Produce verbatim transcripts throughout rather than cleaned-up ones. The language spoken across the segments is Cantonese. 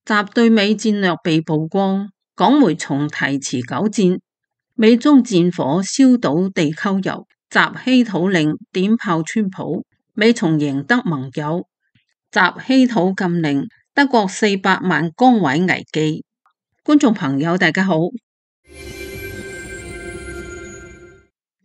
習對美戰略被曝光，港媒重提持久戰，美中戰火燒島地溝油，習稀土令點炮川普，美從贏得盟友，習稀土禁令，德國四百萬崗位危機。觀眾朋友大家好，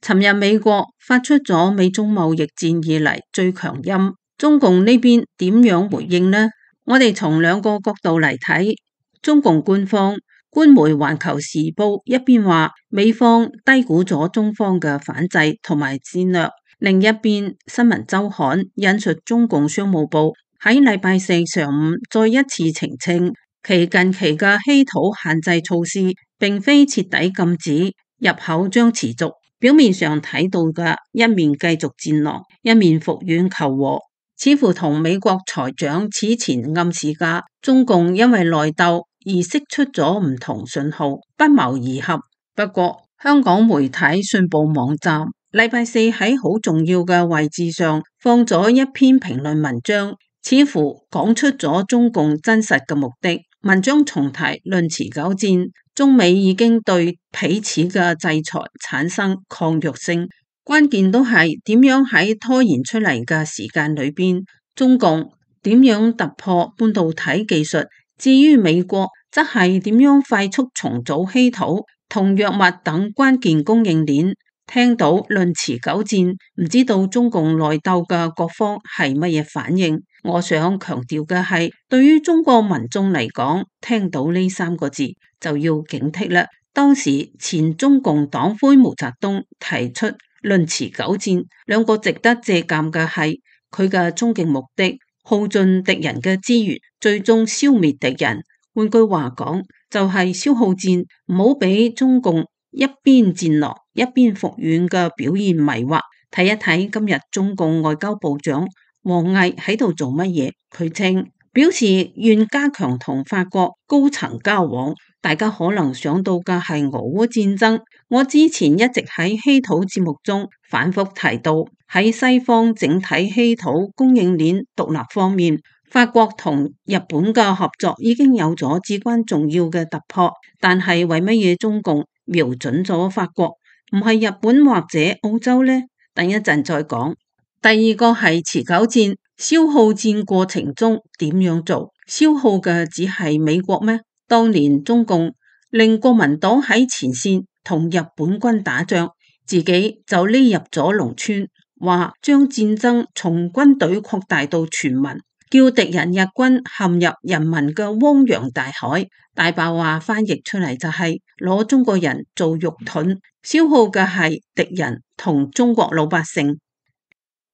尋日美國發出咗美中貿易戰以嚟最強音，中共呢邊點樣回應呢？我哋從兩個角度嚟睇，中共官方官媒《環球時報》一邊話美方低估咗中方嘅反制同埋戰略，另一邊《新聞週刊》引述中共商務部喺禮拜四上午再一次澄清，其近期嘅稀土限制措施並非徹底禁止，入口將持續。表面上睇到嘅一面繼續戰狼，一面服軟求和，似乎同美國財長此前暗示嘅中共因為內鬥而釋出咗唔同信號，不謀而合。不過香港媒體信報網站禮拜四喺好重要嘅位置上放咗一篇評論文章，似乎講出咗中共真實嘅目的。文章重提論持久戰，中美已經對彼此嘅制裁產生抗藥性，關鍵都係點樣喺拖延出嚟嘅時間裏邊，中共點樣突破半導體技術，至於美國則係點樣快速重組稀土同藥物等關鍵供應鏈。聽到論持久戰，唔知道中共內鬥嘅各方係乜嘢反應。我想強調嘅係，對於中國民眾嚟講，聽到呢三個字就要警惕啦。當時前中共黨魁毛澤東提出論持久戰，兩個值得借鑒嘅係佢嘅終極目的，耗盡敵人嘅資源，最終消滅敵人。換句話講，就係消耗戰，唔好俾中共一邊戰狼一邊服軟嘅表現迷惑。睇一睇今日中共外交部長王毅喺度做乜嘢？佢稱表示願加強同法國高層交往。大家可能想到嘅係俄烏戰爭。我之前一直喺稀土節目中反覆提到，喺西方整體稀土供應鏈獨立方面，法國同日本嘅合作已經有咗至關重要嘅突破。但係為乜嘢中共瞄準咗法國，唔係日本或者澳洲呢？等一陣再講。第二個係持久戰，消耗戰過程中點樣做？消耗嘅只係美國咩？當年中共令國民黨喺前線同日本軍打仗，自己就匿入咗農村，話將戰爭從軍隊擴大到全民，叫敵人日軍陷入人民嘅汪洋大海。大白話翻譯出嚟就係攞中國人做肉盾，消耗嘅係敵人同中國老百姓。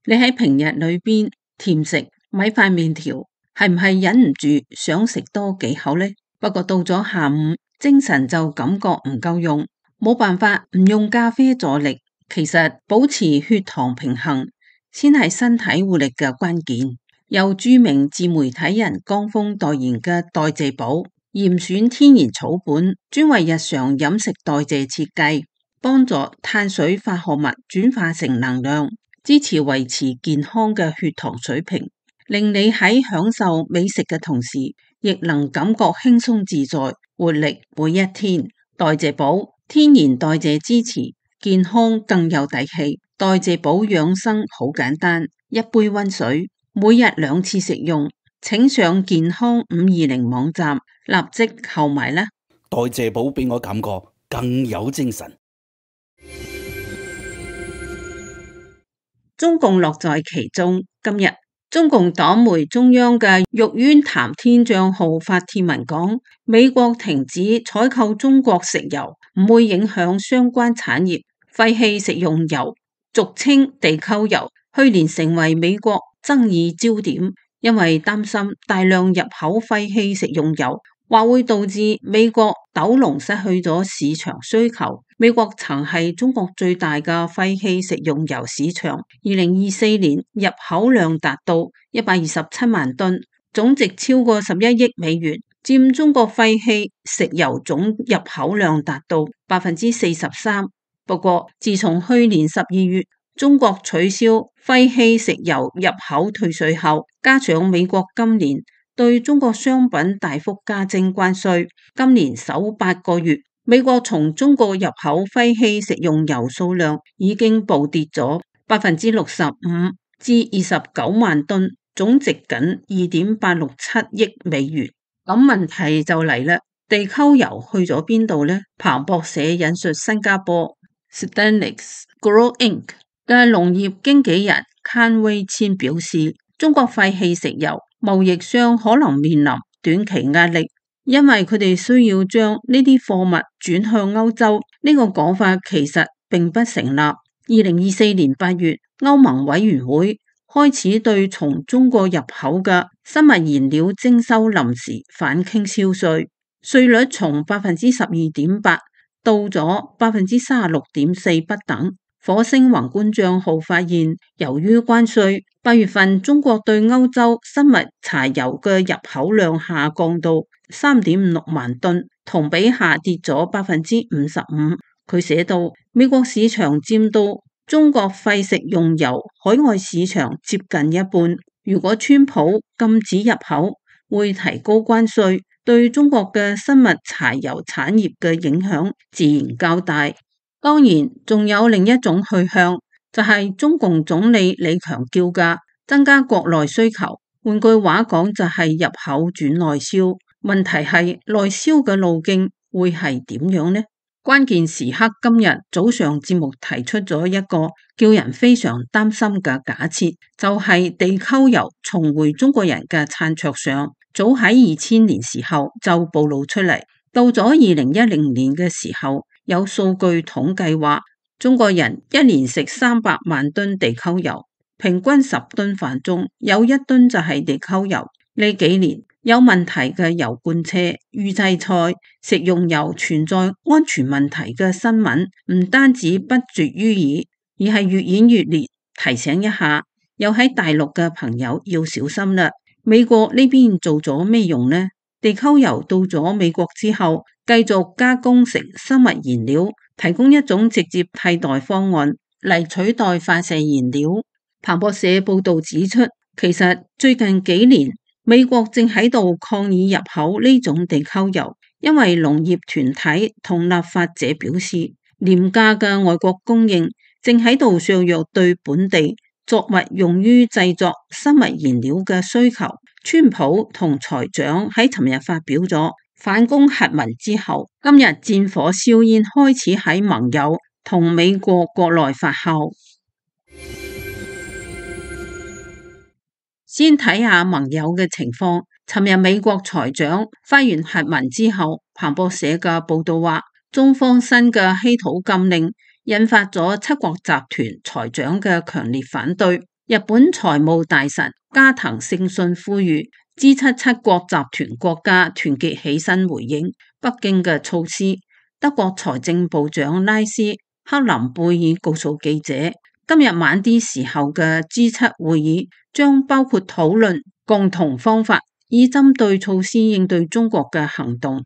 你喺平日裏邊甜食米飯麵條，係唔係忍唔住想食多幾口呢？不過到咗下午，精神就感覺唔夠用，冇辦法唔用咖啡助力。其實保持血糖平衡先係身體活力嘅關鍵。由著名自媒體人江峰代言嘅代謝寶嚴選天然草本，專為日常飲食代謝設計，幫助碳水化合物轉化成能量，支持維持健康嘅血糖水平，令你喺享受美食嘅同時，亦能感覺輕鬆自在，活力每一天。代謝寶天然代謝支持健康更有底氣。代謝寶養生好簡單，一杯溫水，每日兩次食用。請上健康五二零網站立即購買啦。代謝寶俾我感覺更有精神。中共樂在其中。今日中共黨媒中央嘅玉淵談天賬號發帖文講，美國停止採購中國石油唔會影響相關產業。廢棄食用油，俗稱地溝油，去年成為美國爭議焦點，因為擔心大量入口廢棄食用油或會導致美國斗龍失去咗市場需求。美國曾係中國最大嘅廢棄食用油市場，二零二四年入口量達到一百二十七萬噸，總值超過十一億美元，佔中國廢棄食油總入口量達到百分之四十三。不過，自從去年十二月中國取消廢棄食油入口退稅後，加上美國今年對中國商品大幅加徵關稅。今年首八個月，美國從中國入口廢棄食用油數量已經暴跌咗百分之六十五至二十九萬噸，總值僅二點八六七億美元。咁問題就嚟啦，地溝油去咗邊度呢？彭博社引述新加坡 Stanix Grow Incorporated 嘅農業經紀人卡威千表示，中國廢棄食油貿易商可能面臨短期壓力，因為佢哋需要將呢啲貨物轉向歐洲。呢個講法其實並不成立。二零二四年八月，歐盟委員會開始對從中國入口嘅生物燃料徵收臨時反傾銷稅，稅率從百分之十二點八到咗百分之三十六點四不等。火星宏觀賬號發現，由於關稅，八月份中國對歐洲生物柴油嘅入口量下降到三點五六萬噸，同比下跌咗百分之五十五。佢寫到，美國市場佔到中國廢食用油海外市場接近一半。如果川普禁止入口，會提高關稅，對中國嘅生物柴油產業嘅影響自然較大。當然，仲有另一種去向，就係中共總理李強叫價，增加國內需求。換句話講，就係入口轉內銷。問題係內銷嘅路徑會係點樣呢？關鍵時刻今日早上節目提出咗一個叫人非常擔心嘅假設，就係地溝油重回中國人嘅餐桌上。早喺二千年時候就暴露出嚟，到咗二零一零年嘅時候，有數據統計話，中國人一年食三百萬噸地溝油，平均十噸飯中有一噸就係地溝油。呢幾年有問題嘅油罐車、預製菜、食用油存在安全問題嘅新聞，唔單止不絕於耳，而係越演越烈。提醒一下，有喺大陸嘅朋友要小心啦。美國呢邊做咗咩用呢？地溝油到咗美國之後，繼續加工成生物燃料，提供一種直接替代方案嚟取代化石燃料。彭博社報道指出，其實最近幾年美國正喺度抗議入口呢種地溝油，因為農業團體同立法者表示，廉價嘅外國供應正喺度削弱對本地作物用於製作生物燃料嘅需求。川普同財長喺尋日發表咗反攻核文之後，今日戰火硝煙開始喺盟友同美國國內發酵。先睇下盟友嘅情況。尋日美國財長發完核文之後，彭博社嘅報道話，中方新嘅稀土禁令引發咗七國集團財長嘅強烈反對。日本財務大臣加藤勝信呼籲 G 七 七國集團國家團結起身回應北京嘅措施。德國財政部長拉斯克林貝爾告訴記者，今日晚啲時候嘅 G 七 會議將包括討論共同方法，以針對措施應對中國嘅行動。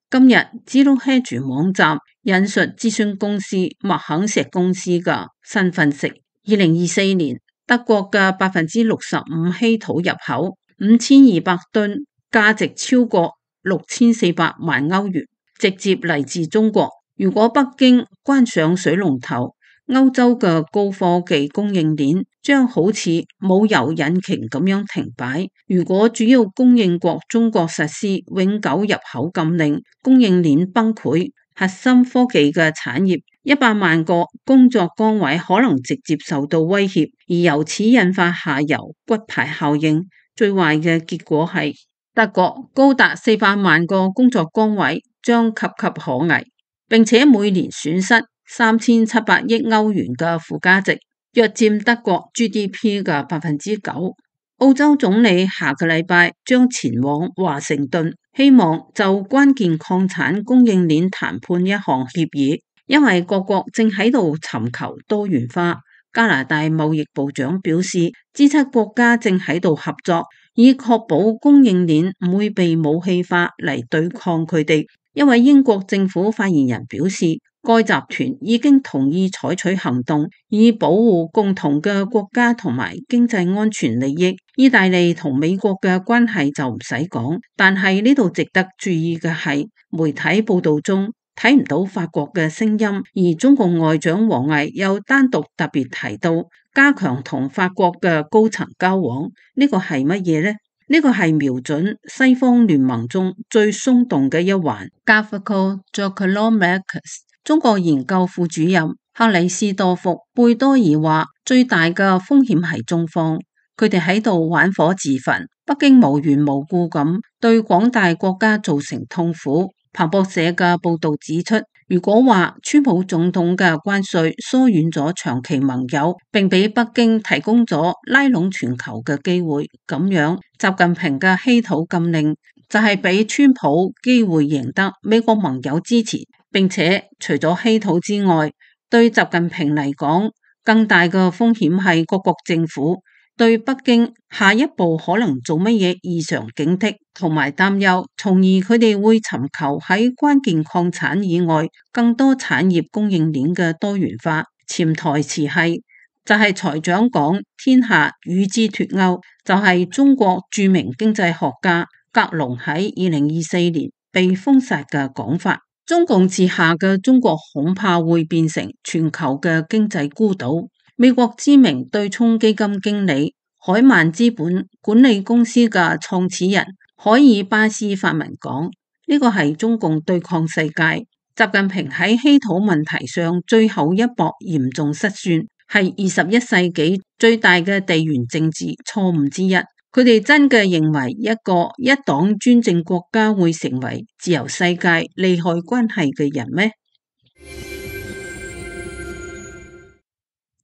今日 Zero Hedge 網站引述諮詢公司麥肯錫公司嘅新分析，二零二四年德國嘅百分之六十五稀土入口五千二百噸，價值超過六千四百萬歐元，直接嚟自中國。如果北京關上水龍頭，歐洲嘅高科技供應鏈將好似冇油引擎咁樣停擺。如果主要供應國中國實施永久入口禁令，供應鏈崩潰，核心科技嘅產業一百萬個工作崗位可能直接受到威脅，而由此引發下游骨牌效應。最壞嘅結果係德國高達四百萬個工作崗位將岌岌可危，並且每年損失三千七百億歐元嘅附加值，約佔德國 G D P 嘅百分之九。澳洲總理下個禮拜將前往華盛頓，希望就關鍵礦產供應鏈談判一項協議，因為各國正喺度尋求多元化。加拿大貿易部長表示 ，G 七 國家正喺度合作，以確保供應鏈唔會被武器化嚟對抗佢哋。因為英國政府發言人表示，該集團已經同意採取行動，以保護共同嘅國家同埋經濟安全利益。意大利同美國嘅關係就唔使講，但係呢度值得注意嘅係，媒體報道中睇唔到法國嘅聲音，而中共外長王毅又單獨特別提到加強同法國嘅高層交往，呢個係乜嘢呢？呢個係瞄準西方聯盟中最鬆動嘅一環。Gavrico Giacomomakis 中國研究副主任克里斯多福貝多爾話，最大嘅風險係中方，佢哋喺度玩火自焚，北京無緣無故咁對廣大國家造成痛苦。彭博社嘅報道指出，如果話川普總統嘅關稅疏遠咗長期盟友，並俾北京提供咗拉攏全球嘅機會，咁樣習近平嘅稀土禁令就係俾川普機會贏得美國盟友支持，並且除咗稀土之外，對習近平嚟講，更大嘅風險係各國政府對北京下一步可能做乜嘢異常警惕同埋擔憂，從而佢哋會尋求喺關鍵礦產以外更多產業供應鏈嘅多元化。潛台詞係就係、是、財長講天下與之脫鈎，就係、是、中國著名經濟學家格隆喺二零二四年被封殺嘅講法。中共治下嘅中國恐怕會變成全球嘅經濟孤島。美國知名對沖基金經理海曼資本管理公司嘅創始人海爾巴斯發文講，呢個係中共對抗世界。習近平喺稀土問題上最後一搏嚴重失算，係二十一世紀最大嘅地緣政治錯誤之一。佢哋真嘅認為一個一黨專政國家會成為自由世界利害關係嘅人咩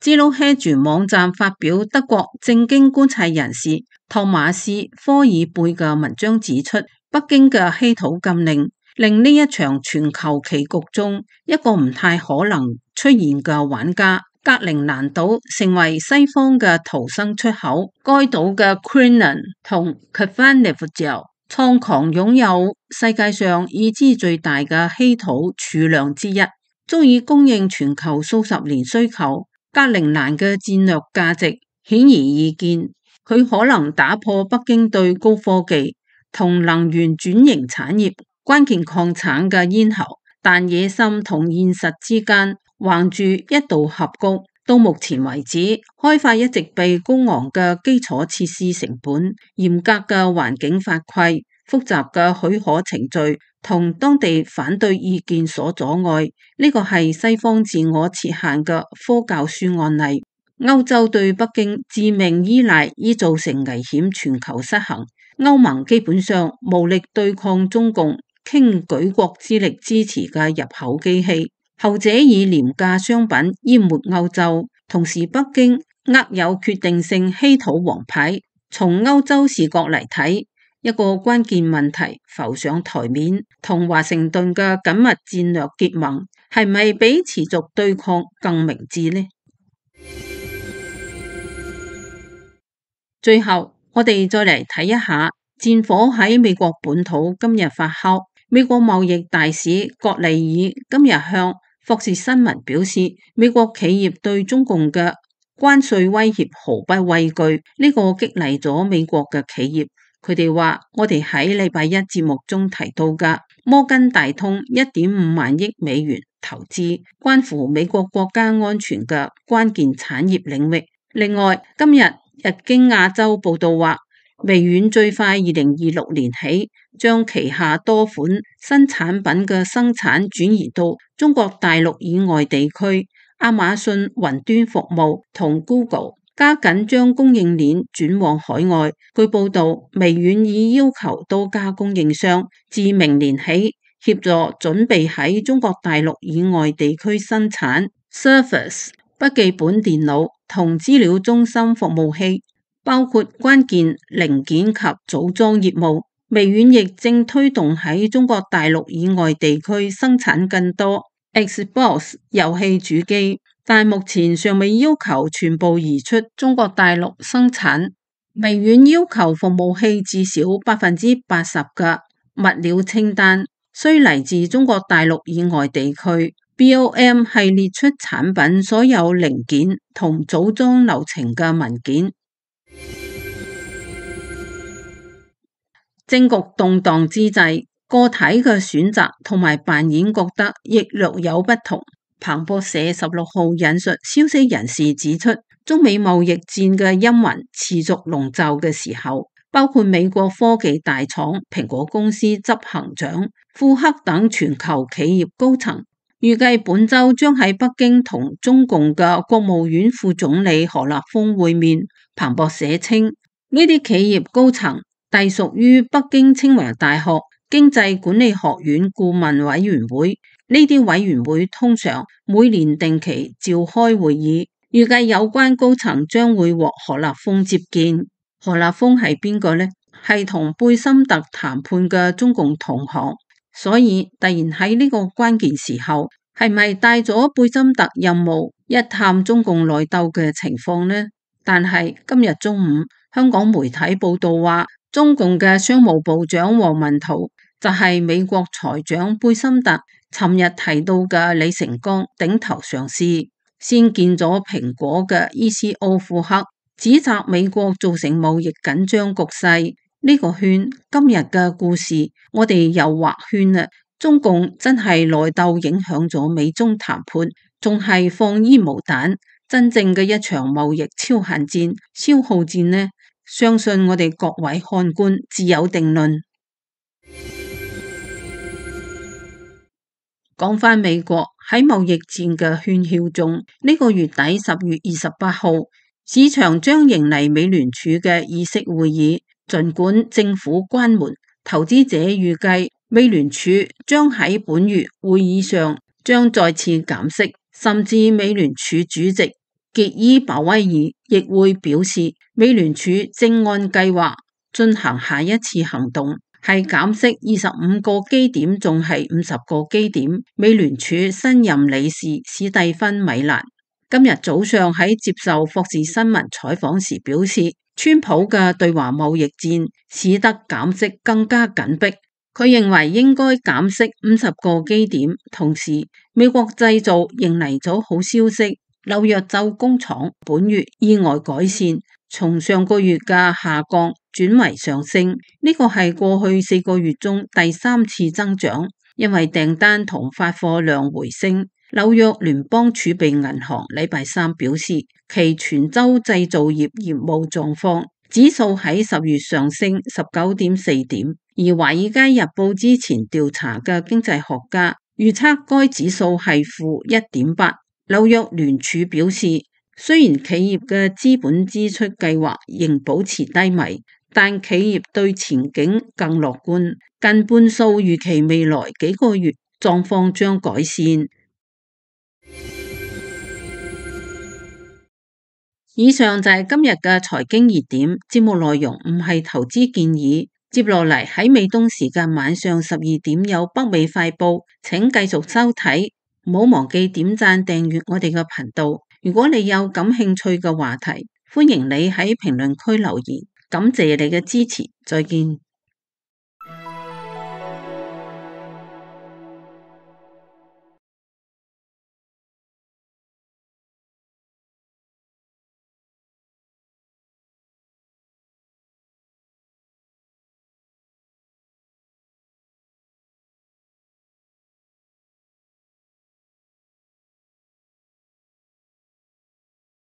？Zero Hedge 網站發表德國政經觀察人士托馬斯科爾貝嘅文章指出，北京嘅稀土禁令令呢一場全球棋局中一個唔太可能出現嘅玩家格陵蘭島成為西方嘅逃生出口。該島嘅 Krinnan 同 Kvanefjeld 創狂擁有世界上已知最大嘅稀土儲量之一，足以供應全球數十年需求。格陵蘭嘅戰略價值顯而易見，佢可能打破北京對高科技同能源轉型產業關鍵礦產嘅咽喉，但野心同現實之間橫住一道峽谷。到目前為止，開發一直被高昂嘅基礎設施成本、嚴格嘅環境法規、複雜嘅許可程序同當地反對意見所阻礙，呢個係西方自我設限嘅科教書案例。歐洲對北京致命依賴已造成危險全球失衡，歐盟基本上無力對抗中共傾舉國之力支持嘅入口機器，後者以廉價商品淹沒歐洲，同時北京握有決定性稀土王牌。從歐洲視角嚟睇，一個關鍵問題浮上台面，同華盛頓嘅緊密戰略結盟係咪比持續對抗更明智呢？最後，我哋再嚟睇一下戰火喺美國本土今日發酵。美國貿易大使葛利爾今日向霍士新聞表示，美國企業對中共嘅關稅威脅毫不畏懼，呢個激勵咗美國嘅企業。佢哋話：我哋喺禮拜一節目中提到嘅摩根大通一點五萬億美元投資，關乎美國國家安全嘅關鍵產業領域。另外，今日日經亞洲報道話，微軟最快二零二六年起將旗下多款新產品嘅生產轉移到中國大陸以外地區。亞馬遜雲端服務同 Google加緊將供應鏈轉往海外。據報道，微軟已要求多家供應商自明年起協助準備喺中國大陸以外地區生產 Surface 筆記本電腦同資料中心服務器，包括關鍵零件及組裝業務。微軟亦正推動喺中國大陸以外地區生產更多 Xbox 遊戲主機，但目前尚未要求全部移出中國大陸生產。微軟要求服務器至少百分之八十嘅物料清單需嚟自中國大陸以外地區。B O M 係列出產品所有零件同組裝流程嘅文件。政局動盪之際，個體嘅選擇同埋扮演覺得亦略有不同。彭博社十六號引述消息人士指出，中美貿易戰嘅陰雲持續籠罩嘅時候，包括美國科技大廠蘋果公司執行長庫克等全球企業高層，預計本週將喺北京同中共嘅國務院副總理何立峰會面。彭博社稱，呢啲企業高層隸屬於北京清華大學經濟管理學院顧問委員會，呢啲委員會通常每年定期召開會議，預計有關高層將會獲何立峰接見。何立峰係邊個呢？係同貝森特談判嘅中共同行，所以突然喺呢個關鍵時候，係咪帶咗貝森特任務一探中共內鬥嘅情況呢？但係今日中午，香港媒體報道話，中共嘅商務部長王文濤就係美國財長貝森特尋日提到嘅李成鋼頂頭上司，先見咗蘋果嘅 E C O 庫克，指責美國造成貿易緊張局勢。呢個圈今日嘅故事，我哋又畫圈啦。中共真係內鬥影響咗美中談判，仲係放煙霧彈，真正嘅一場貿易超限戰、消耗戰呢？相信我哋各位看官自有定論。講返美國喺貿易戰嘅喧囂中，呢個月底十月二十八號，市場將迎嚟美聯儲嘅議息會議。儘管政府關門，投資者預計美聯儲將喺本月會議上將再次減息，甚至美聯儲主席傑伊鮑威爾亦會表示，美聯儲正按計劃進行下一次行動，係減息二十五個基點，仲係五十個基點。美聯儲新任理事史蒂芬米蘭今日早上喺接受霍士新聞採訪時表示，川普嘅對華貿易戰使得減息更加緊迫。佢認為應該減息五十個基點，同時美國製造迎嚟咗好消息，紐約州工廠本月意外改善，從上個月嘅下降轉為上升，呢個係過去四個月中第三次增長，因為訂單同發貨量回升。紐約聯邦儲備銀行禮拜三表示，其全州製造業業務狀況指數喺十月上升十九點四點，而華爾街日報之前調查嘅經濟學家預測該指數係負一點八。紐約聯儲表示，雖然企業嘅資本支出計劃仍保持低迷，但企業對前景更樂觀，近半數預期未來幾個月狀況將改善。以上就係今日嘅財經熱點，節目內容唔係投資建議。接落嚟喺美東時間晚上十二點有北美快報，請繼續收睇，唔好忘記點讚訂閱我哋嘅頻道。如果你有感興趣嘅話題，歡迎你喺評論區留言。感謝你嘅支持，再見。